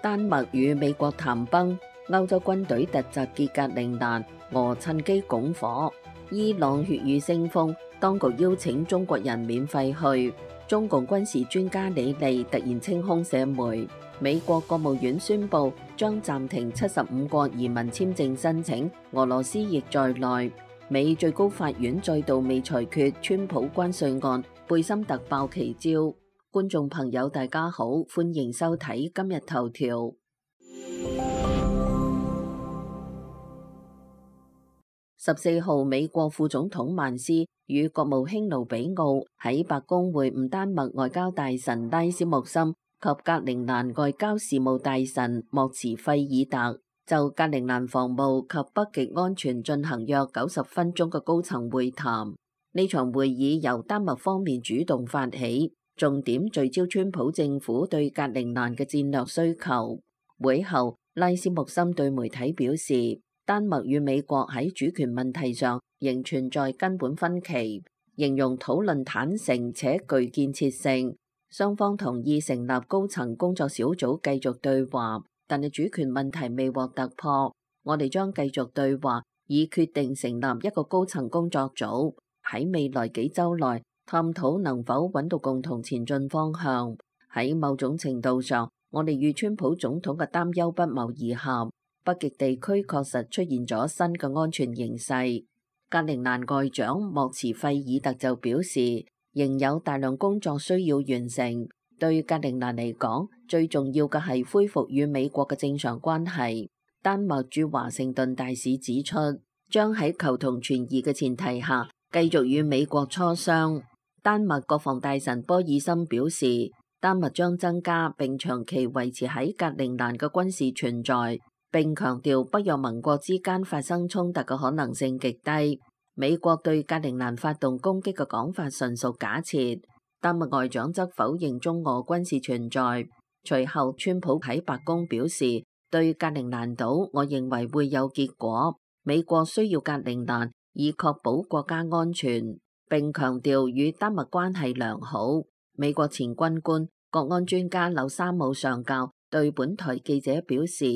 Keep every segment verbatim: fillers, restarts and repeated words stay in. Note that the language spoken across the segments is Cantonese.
丹麥與美國談崩，歐洲軍隊突襲傑格陵蘭，俄趁機拱火。伊朗血雨腥風，當局邀請中國人免費去。中共軍事專家李利突然清空社媒。美國國務院宣布將暫停七十五個移民簽證申請，俄羅斯亦在內。美最高法院再度未裁決川普關稅案，貝森特爆奇招。觀眾朋友大家好，歡迎收睇今日頭條。十四號，美國副總統曼斯與國務卿盧比奧喺白宮會晤丹麥外交大臣拉斯穆森及格陵蘭外交事務大臣莫茨費爾特，就格陵蘭防務及北極安全進行約九十分鐘嘅高層會談。呢場會議由丹麥方面主動發起，重點聚焦川普政府對格陵蘭嘅戰略需求。會後，拉斯穆森對媒體表示，丹麥與美國喺主權問題上仍存在根本分歧，形容討論坦誠且具建設性。雙方同意成立高層工作小組繼續對話，但係主權問題未獲突破。我哋將繼續對話，以決定成立一個高層工作組，喺未來幾週內探討能否揾到共同前進方向。喺某種程度上，我哋與川普總統嘅擔憂不謀而合。北極地區確實出現咗新嘅安全形勢。格陵蘭外長莫茨費爾特就表示，仍有大量工作需要完成。對格陵蘭嚟講，最重要嘅係恢復與美國嘅正常關係。丹麥駐華盛頓大使指出，將喺求同存異嘅前提下，繼續與美國磋商。丹麥國防大臣波爾森表示，丹麥將增加並長期維持喺格陵蘭嘅軍事存在，並強調北約盟國之間發生衝突嘅可能性極低。美國對格陵蘭發動攻擊嘅講法純屬假設。丹麥外長則否認中俄軍事存在。隨後，川普喺白宮表示，對格陵蘭島，我認為會有結果。美國需要格陵蘭以確保國家安全，並強調與丹麥關係良好。美國前軍官、國安專家柳沙姆上校對本台記者表示，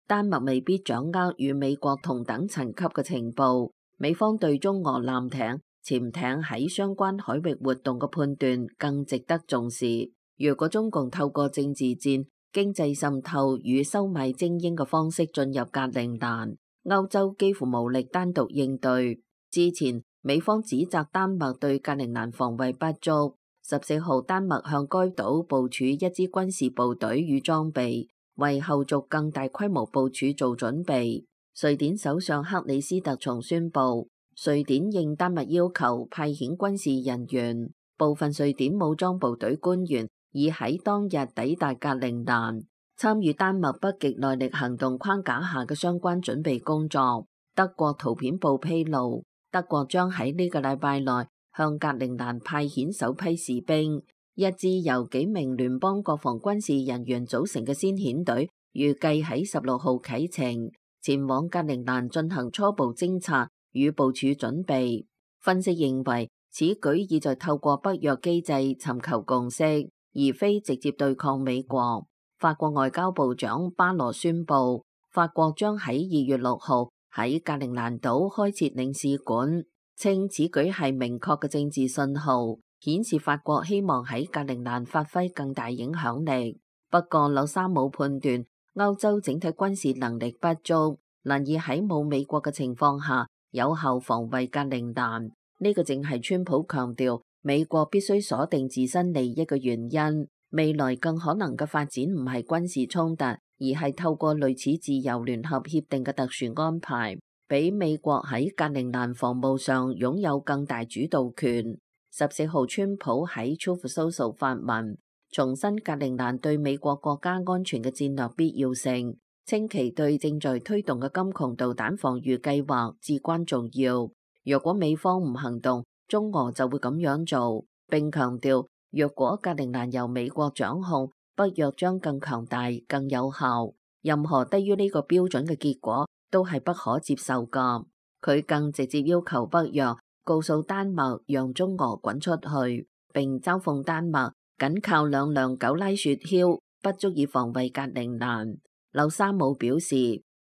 丹麥未必掌握與美國同等層級嘅情報，美方對中俄艦艇、潛艇喺相關海域活動嘅判斷更值得重視。如果中共透過政治戰、經濟滲透與收買精英嘅方式進入格陵蘭，歐洲幾乎無力單獨應對。之前美方指責丹麥對格陵蘭防衛不足，十四號丹麥向該島部署一支軍事部隊與裝備，為後續更大規模部署做準備。瑞典首相克里斯特松宣布，瑞典應丹麥要求派遣軍事人員，部分瑞典武裝部隊官員已喺當日抵達格陵蘭，參與丹麥北極耐力行動框架下嘅相關準備工作。德國圖片報披露，德國將喺呢個禮拜內向格陵蘭派遣首批士兵。一支由幾名聯邦國防軍事人員組成嘅先遣隊，預計喺十六號啟程，前往格陵蘭進行初步偵察與部署準備。分析認為，此舉意在透過北約機制尋求共識，而非直接對抗美國。法國外交部長巴羅宣布，法國將喺二月六號喺格陵蘭島開設領事館，稱此舉係明確嘅政治信號，顯示法國希望喺格陵蘭發揮更大影響力。不過，柳沙姆判斷歐洲整體軍事能力不足，難以喺冇美國嘅情況下有效防衛格陵蘭。呢個正係川普強調美國必須鎖定自身利益嘅原因。未來更可能嘅發展唔係軍事衝突，而係透過類似自由聯合協定嘅特殊安排，俾美國喺格陵蘭防務上擁有更大主導權。十四號，川普喺 Truth Social 發文，重申格陵蘭對美國國家安全嘅戰略必要性，稱其對正在推動嘅金窮導彈防禦計劃至關重要。若果美方唔行動，中俄就會咁樣做。並強調，若果格陵蘭由美國掌控，北約將更強大、更有效。任何低於呢個標準嘅結果都係不可接受㗎。佢更直接要求北約告訴丹麥讓中俄滾出去，並嘲諷丹麥僅靠兩輛狗拉雪橇不足以防衛格陵蘭。柳沙姆表示，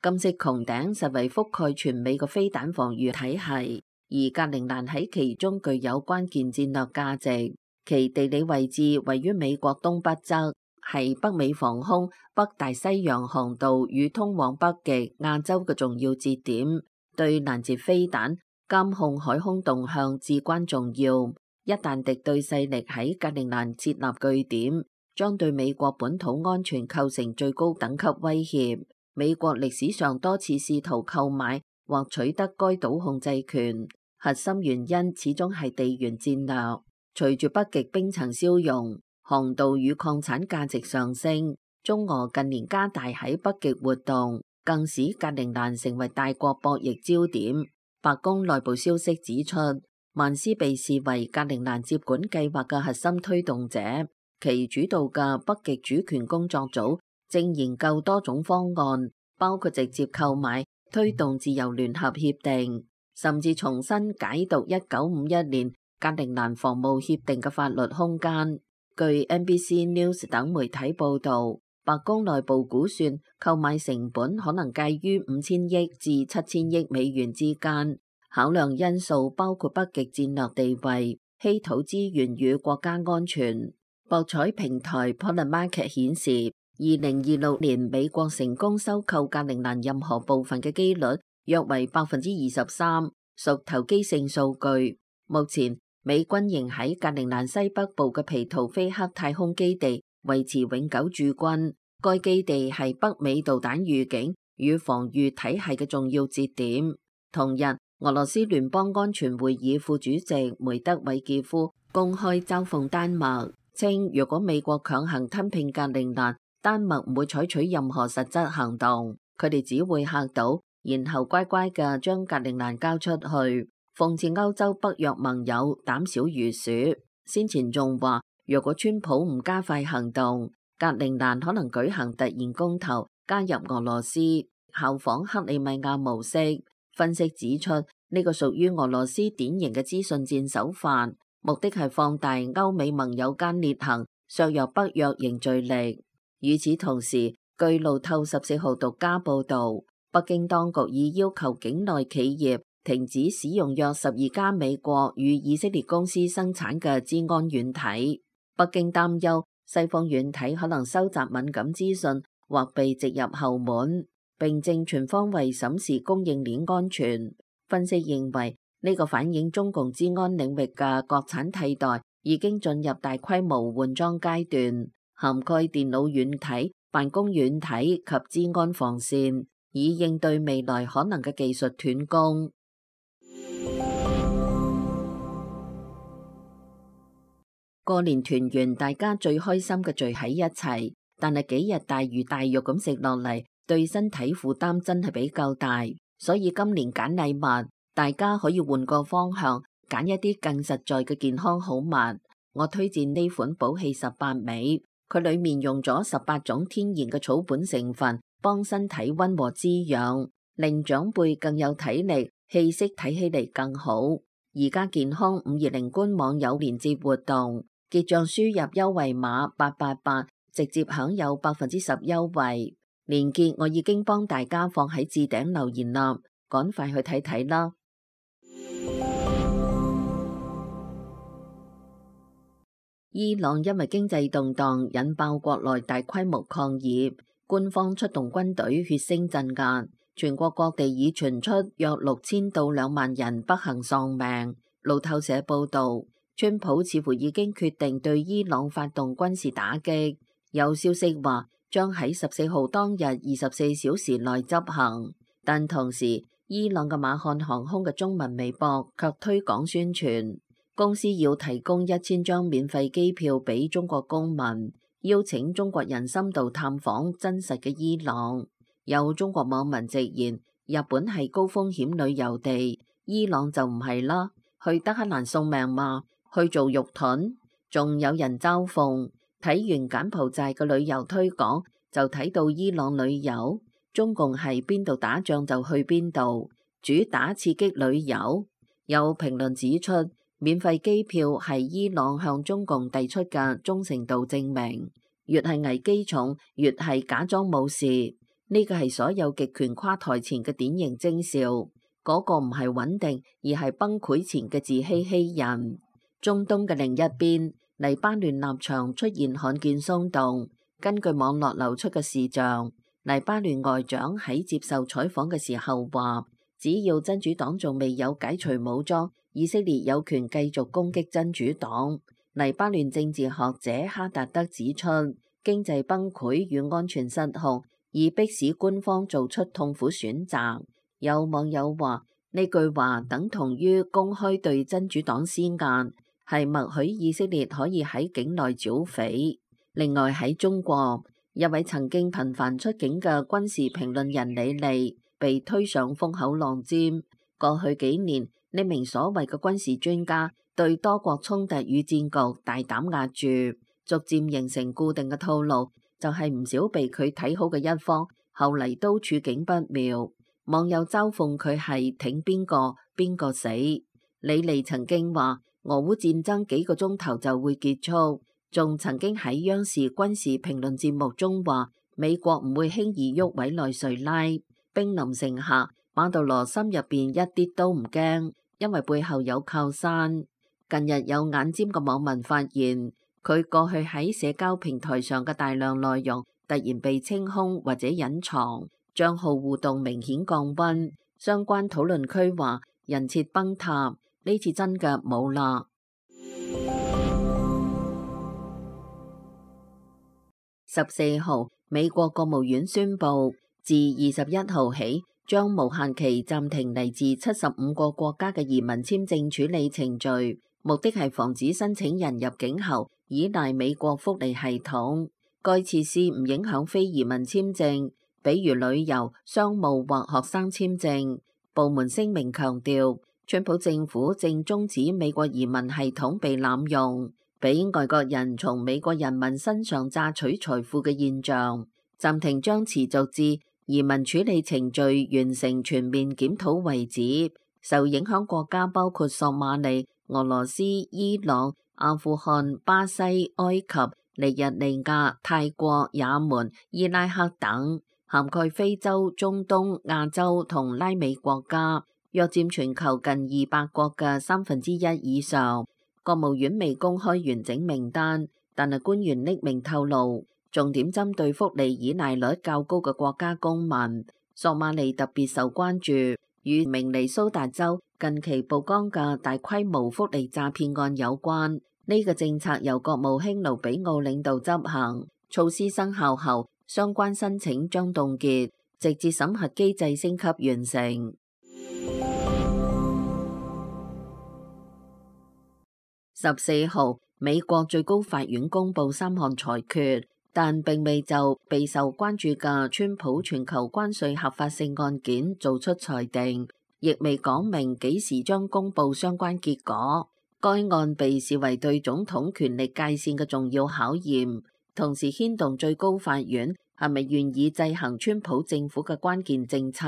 金色穹頂實為覆蓋全美嘅飛彈防禦體系，而格陵蘭喺其中具有關鍵戰略價值。其地理位置位於美國東北側，係北美防空、北大西洋航道與通往北極、亞洲嘅重要節點，對攔截飛彈、監控海空動向至關重要。一旦敵對勢力喺格陵蘭設立據點，將對美國本土安全構成最高等級威脅。美國歷史上多次試圖購買或取得該島控制權，核心原因始終係地緣戰略。隨住北極冰層消融，航道與礦產價值上升，中俄近年加大喺北極活動，更使格陵蘭成為大國博弈焦點。白宮內部消息指出，曼斯被視為格陵蘭接管計劃嘅核心推動者，其主導嘅北極主權工作組正研究多種方案，包括直接購買、推動自由聯合協定，甚至重新解讀一九五一年格陵蘭防務協定嘅法律空間。據 N B C News 等媒體報導，白宮內部估算購買成本可能介於五千億至七千億美元之間。考量因素包括北極戰略地位、稀土資源與國家安全。博彩平台 Polymarket 顯示，二零二六年美國成功收購格陵蘭任何部分嘅機率約為百分之二十三，屬投機性數據。目前美軍仍喺格陵蘭西北部嘅皮圖菲克太空基地維持永久駐軍，該基地係北美導彈預警與防禦體系嘅重要節點。同日，俄羅斯聯邦安全會議副主席梅德韋傑夫公開嘲諷丹麥，稱如果美國強行吞併格陵蘭，丹麥唔會採取任何實質行動，佢哋只會嚇到，然後乖乖嘅將格陵蘭交出去。諷刺歐洲北約盟友膽小如鼠，先前仲話若果川普唔加快行動，格陵蘭可能舉行突然公投加入俄羅斯，效仿克里米亞模式。分析指出，呢個屬於俄羅斯典型嘅資訊戰手法，目的係放大歐美盟友間裂痕，削弱北約凝聚力。與此同時，據路透十四號獨家報導，北京當局已要求境內企業停止使用約十二家美國與以色列公司生產嘅資安軟體。北京擔憂西方軟體可能收集敏感資訊或被植入後門，並正全方位審視供應鏈安全。分析認為，呢個反映中共資安領域嘅國產替代已經進入大規模換裝階段，涵蓋電腦軟體、辦公軟體及資安防線，以應對未來可能嘅技術斷供。過年團圓，大家最開心嘅聚喺一齊，但係幾日大魚大肉咁食落嚟，對身體負擔真係比較大。所以今年揀禮物，大家可以換個方向，揀一啲更實在嘅健康好物。我推薦呢款寶氣十八味，佢裏面用咗十八種天然嘅草本成分，幫身體溫和滋養，令長輩更有體力，氣息睇起嚟更好。而家健康五二零官網有連接活動，結賬輸入優惠碼八八八，直接享有百分之十優惠。連結我已經幫大家放喺置頂留言啦，趕快去睇睇啦。伊朗因為經濟動盪引爆國內大規模抗議，官方出動軍隊血腥鎮壓，全國各地已傳出約六千到兩萬人不幸喪命。路透社報導，川普似乎已經決定對伊朗發動軍事打擊，有消息話將喺十四號當日二十四小時內執行，但同時伊朗嘅馬漢航空嘅中文微博卻推廣宣傳，公司要提供一千張免費機票俾中國公民，邀請中國人深度探訪真實嘅伊朗。有中國網民直言，日本係高風險旅遊地，伊朗就唔係啦，去德黑蘭送命嘛，去做肉盾。仲有人嘲諷，睇完柬埔寨嘅旅遊推廣，就睇到伊朗旅遊，中共係邊度打仗就去邊度，主打刺激旅遊。有評論指出，免費機票係伊朗向中共遞出嘅忠誠度證明。越係危機重，越係假裝冇事。呢個係所有極權垮台前嘅典型徵兆。嗰個唔係穩定，而係崩潰前嘅自欺欺人。中東嘅另一邊，黎巴嫩立場出現罕見鬆動。根據網絡流出嘅視像，黎巴嫩外長喺接受採訪嘅時候話，只要真主黨仲未有解除武裝，以色列有權繼續攻擊真主黨。黎巴嫩政治學者哈達德指出，經濟崩潰與安全失控，已迫使官方做出痛苦選擇。有網友話，呢句話等同於公開對真主黨施壓，係默許以色列可以喺境內剿匪。另外喺中國，一位曾經頻繁出境嘅軍事評論人李利被推上風口浪尖。過去幾年，呢名所謂嘅軍事專家對多國衝突與戰局大膽壓住，逐漸形成固定嘅套路，就係唔少被佢睇好嘅一方，後嚟都處境不妙。網友嘲諷佢係挺邊個邊個死。李利曾經話俄烏戰爭幾個鐘頭就會結束，仲曾經喺央視軍事評論節目中話美國唔會輕易喐委內瑞拉。兵臨城下，馬杜羅心入邊一啲都唔驚，因為背後有靠山。近日有眼尖嘅網民發現，佢過去喺社交平台上嘅大量內容突然被清空或者隱藏。賬號互動明顯降溫，相關討論區話人設崩塌，呢次真嘅冇啦。十四號，美國國務院宣布，自二十一號起，將無限期暫停嚟自七十五個國家嘅移民簽證處理程序，目的係防止申請人入境後依賴美國福利系統。該設施唔影響非移民簽證，比如旅遊、商務或學生簽證。部門聲明強調，川普政府正終止美國移民系統被濫用，俾外國人從美國人民身上榨取財富嘅現象。暫停將持續至移民處理程序完成全面檢討為止。受影響國家包括索馬里、俄羅斯、伊朗、阿富汗、巴西、埃及、尼日利亞、泰國、也門、伊拉克等。涵蓋非洲、中東、亞洲同拉美國家，約佔全球近二百國嘅三分之一以上。國務院未公開完整名單，但係官員匿名透露，重點針對福利依賴率較高嘅國家公民。索馬里特別受關注，與明尼蘇達州近期曝光嘅大規模福利詐騙案有關。呢、這個政策由國務卿盧比奧領導執行，措施生效後，相關申請將凍結，直至審核機制升級完成。十四號，美國最高法院公布三項裁決，但並未就備受關注嘅川普全球關稅合法性案件做出裁定，亦未講明幾時將公布相關結果。該案被視為對總統權力界線嘅重要考驗，同時牽動最高法院係咪願意制衡川普政府嘅關鍵政策。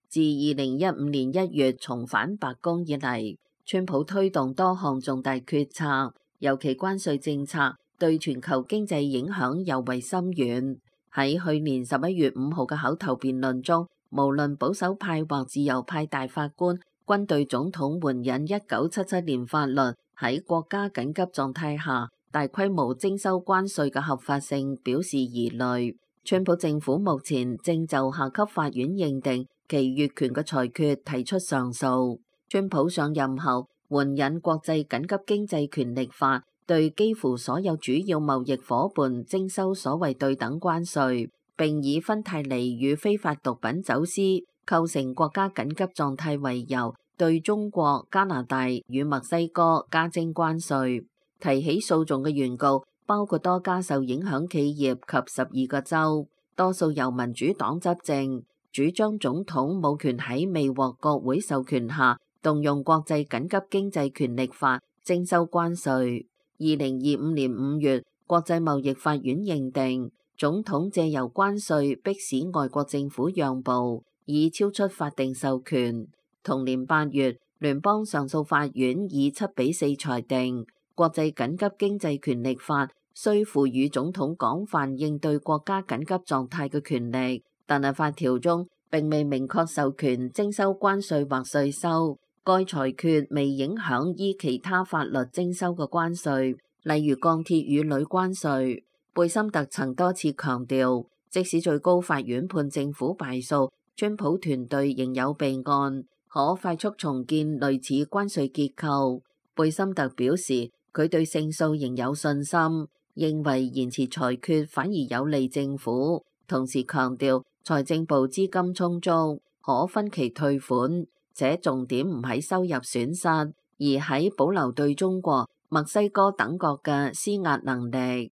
自二零一五年一月重返白宮以嚟，川普推動多項重大決策，尤其關稅政策對全球經濟影響尤為深遠。喺去年十一月五號嘅口頭辯論中，無論保守派或自由派大法官均對總統援引一九七七年法律喺國家緊急狀態下大規模徵收關稅嘅合法性表示疑慮。川普政府目前正就下級法院認定其越權嘅裁決提出上訴。川普上任後援引國際緊急經濟權力法，對幾乎所有主要貿易夥伴徵收所謂對等關稅，並以芬太尼與非法毒品走私構成國家緊急狀態為由，對中國、加拿大與墨西哥加徵關稅。提起訴訟嘅原告包括多家受影響企業及十二個州，多數由民主黨執政，主張總統冇權喺未獲國會授權下動用國際緊急經濟權力法徵收關稅。二零二五年五月，國際貿易法院認定總統借由關稅迫使外國政府讓步，已超出法定授權。同年八月，聯邦上訴法院以七比四裁定國際緊急經濟權力法需賦予總統廣泛應對國家緊急狀態嘅權力，但係法條中並未明確授權徵收關稅或稅收。該裁決未影響依其他法律徵收嘅關稅，例如鋼鐵與鋁關稅。貝森特曾多次強調，即使最高法院判政府敗訴，川普團隊仍有備案，可快速重建類似關稅結構。貝森特表示，佢對勝訴仍有信心，認為延遲裁決反而有利政府。同時強調，財政部資金充足，可分期退款，且重點唔喺收入損失，而喺保留對中國、墨西哥等國嘅施壓能力。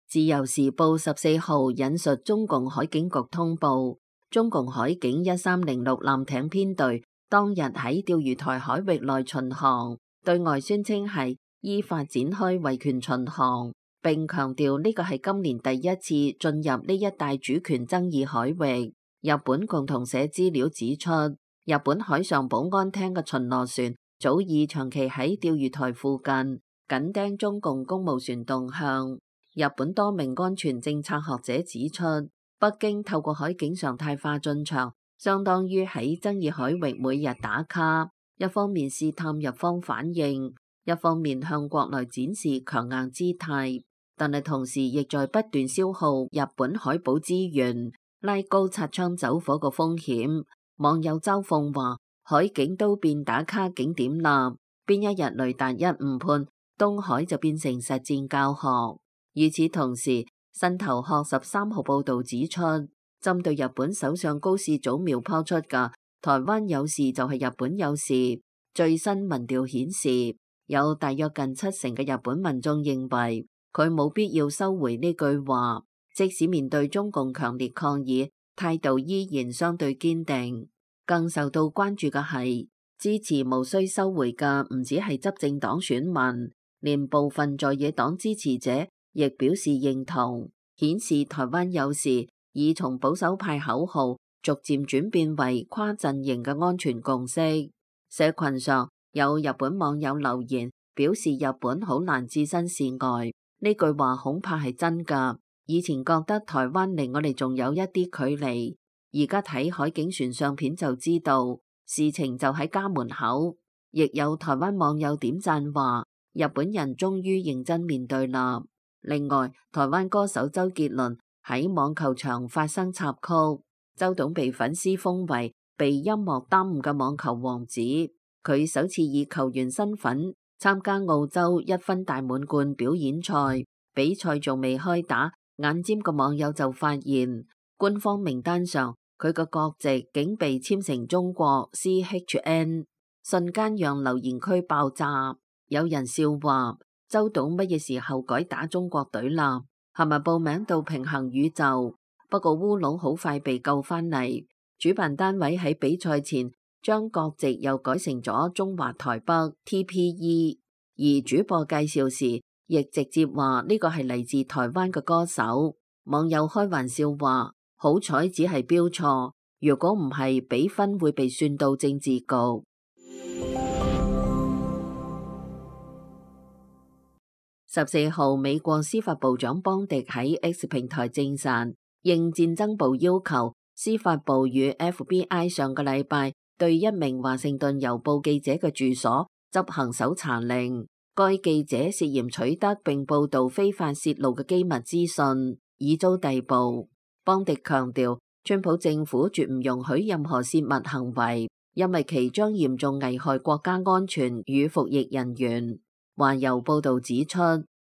自由時報十四號引述中共海警局通報，中共海警一三零六艦艇編隊當日喺釣魚台海域內巡航，對外宣稱係依法展開維權巡航，並強調呢個係今年第一次進入呢一帶主權爭議海域。日本共同社資料指出，日本海上保安廳嘅巡邏船早已長期喺釣魚台附近緊盯中共公務船動向。日本多名安全政策學者指出，北京透過海警常態化進場，相當於喺爭議海域每日打卡，一方面試探日方反應，一方面向國內展示強硬姿態，但係同時亦在不斷消耗日本海保資源，拉高擦槍走火嘅風險。網友周鳳話：海警都變打卡景點啦，邊一日雷達一誤判，東海就變成實戰教學。與此同時，新頭殼十三號報導指出，針對日本首相高市早苗拋出嘅台灣有事就係日本有事，最新民調顯示，有大約近七成嘅日本民眾認為佢冇必要收回呢句話，即使面對中共強烈抗議，態度依然相對堅定。更受到關注嘅係，支持無需收回嘅唔止係執政黨選民，連部分在野黨支持者亦表示認同，顯示台灣有事已從保守派口號逐漸轉變為跨陣營嘅安全共識。社群上有日本網友留言表示，日本好難置身事外，呢句話恐怕係真㗎。以前覺得台灣離我哋仲有一啲距離，而家睇海警船相片就知道事情就喺家門口。亦有台灣網友點讚話，日本人終於認真面對啦。另外，台灣歌手周杰倫喺網球場發生插曲，周董被粉絲封為被音樂耽誤嘅網球王子。佢首次以球員身份參加澳洲一分大滿貫表演賽，比賽仲未開打，眼尖嘅網友就發現官方名單上佢嘅國籍竟被簽成中國 C H N， 瞬間讓留言區爆炸。有人笑話，周董乜嘢時候改打中國隊啦？係咪報名到平行宇宙？不過烏龍好快被救翻嚟，主辦單位喺比賽前將國籍又改成咗中華台北 T P E， 而主播介紹時亦直接話呢個係嚟自台灣嘅歌手。網友開玩笑話，好彩只係標錯，如果唔係比分會被算到政治局。十四號，美國司法部長邦迪喺 X 平台證實，應戰爭部要求，司法部與 F B I 上個禮拜對一名華盛頓郵報記者嘅住所執行搜查令。該記者涉嫌取得並報導非法泄露嘅機密資訊，已遭逮捕。邦迪強調，川普政府絕唔容許任何泄密行為，因為其將嚴重危害國家安全與服役人員。華郵報導指出，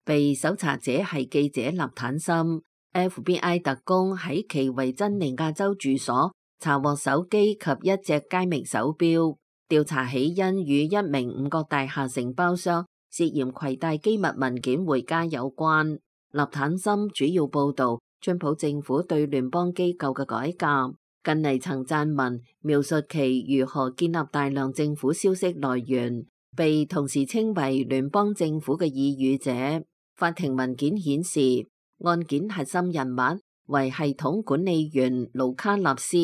被搜查者係記者納坦森。F B I 特工喺其維珍尼亞州住所查獲手機及一隻佳明手錶，調查起因與一名五角大廈承包商涉嫌攜帶機密文件回家有關。納坦森主要報導川普政府對聯邦機構嘅改革，近嚟曾撰文描述其如何建立大量政府消息來源，被同時稱為聯邦政府嘅異語者。法庭文件顯示，案件核心人物為系統管理員盧卡納斯，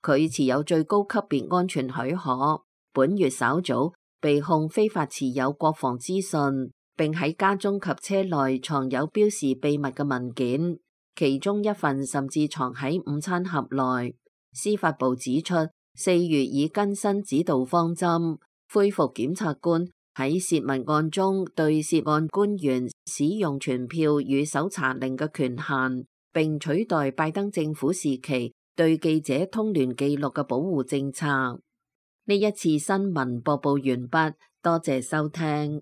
佢持有最高級別安全許可。本月稍早，被控非法持有國防資訊，並喺家中及車內藏有標示秘密嘅文件，其中一份甚至藏喺午餐盒內。司法部指出，四月已更新指導方針，恢復檢察官喺洩密案中對涉案官員使用傳票與搜查令嘅權限，並取代拜登政府時期對記者通聯記錄嘅保護政策。呢一次新聞播報完畢，多謝收聽。